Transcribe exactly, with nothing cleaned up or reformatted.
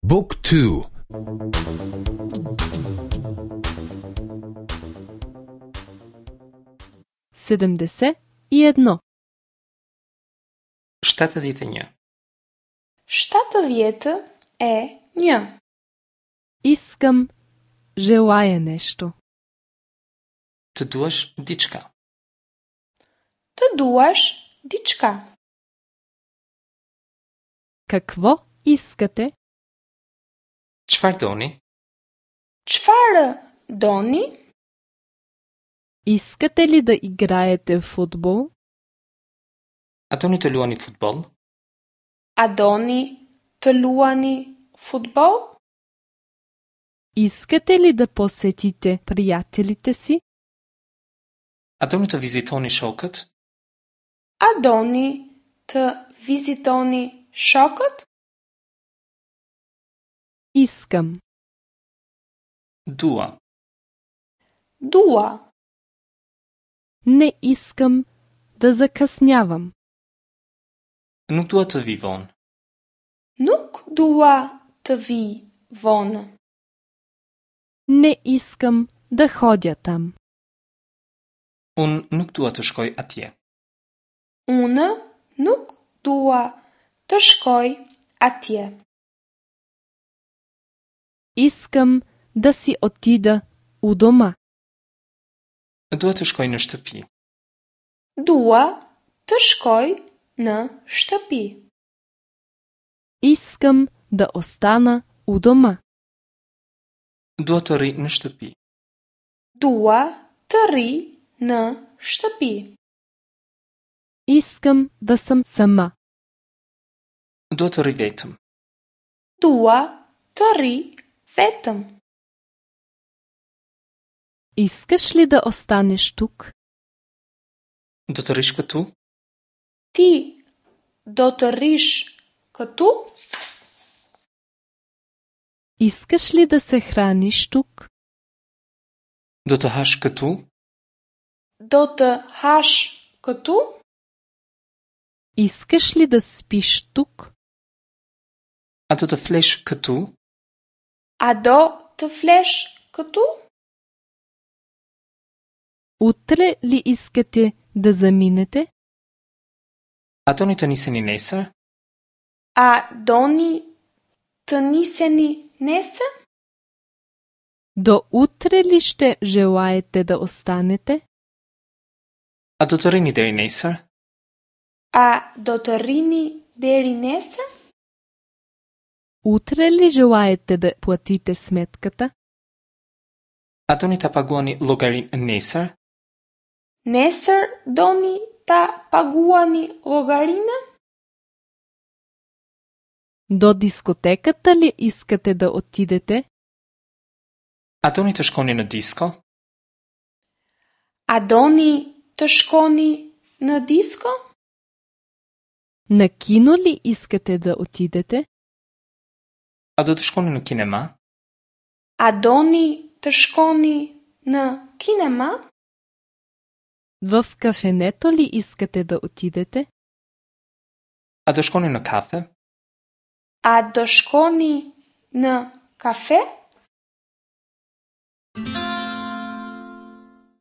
Book two. седемдесет и едно. Щетëdhjetë e një. щетëдhjetë e një. Искам, желая нещо. Të duash diçka. Të duash diçka. Какво искате? Çfarë doni? Çfarë doni? Искате ли да играете в футбол? A doni të luani futboll? A doni të luani futboll? Искате ли да посетите приятелите си? A doni të vizitoni shokët? A doni të vizitoni shokët? Искам. Dua. Dua. Не искам да закъснявам. Nuk dua të vi vonë. Nuk dua të vi vonë. Не искам да ходя там. Unë nuk dua të shkoj atje. Unë nuk dua të shkoj atje. Искам да си отида у дома. Dua të shkoj në shtëpi. Dua të shkoj në shtëpi. Искам да остана у дома. Dua të rri në shtëpi. Dua të rri në shtëpi. Искам да съм сама. Dua të rri vetëm. Dua të rri vetëm. Искаш ли да останеш тук? Do të rish këtu? Ti do të rrish këtu? Искаш ли да се храниш тук? Do të hash këtu? Do të hash këtu? Искаш ли да спиш тук? A do të flesh këtu? A do të flesh këtu? Утре ли искате да заминете? A doni të niseni nesër? A doni të niseni nesër? До утре ли ще желаете да останете? A do të rrini deri nesër? A do të rrini deri nesër? Утре ли желаете да платите сметката? A doni ta paguani llogarinë nesër? Nesër doni ta paguani llogarinë? До дискотеката ли искате да отидете? A doni të shkoni në disko? A doni të shkoni në disko? На кино ли искате да отидете? A do të shkoni në kinema? A doni të shkoni në kinema? В кафенето ли искате да отидете? A do shkoni në kafe? A do shkoni në kafe?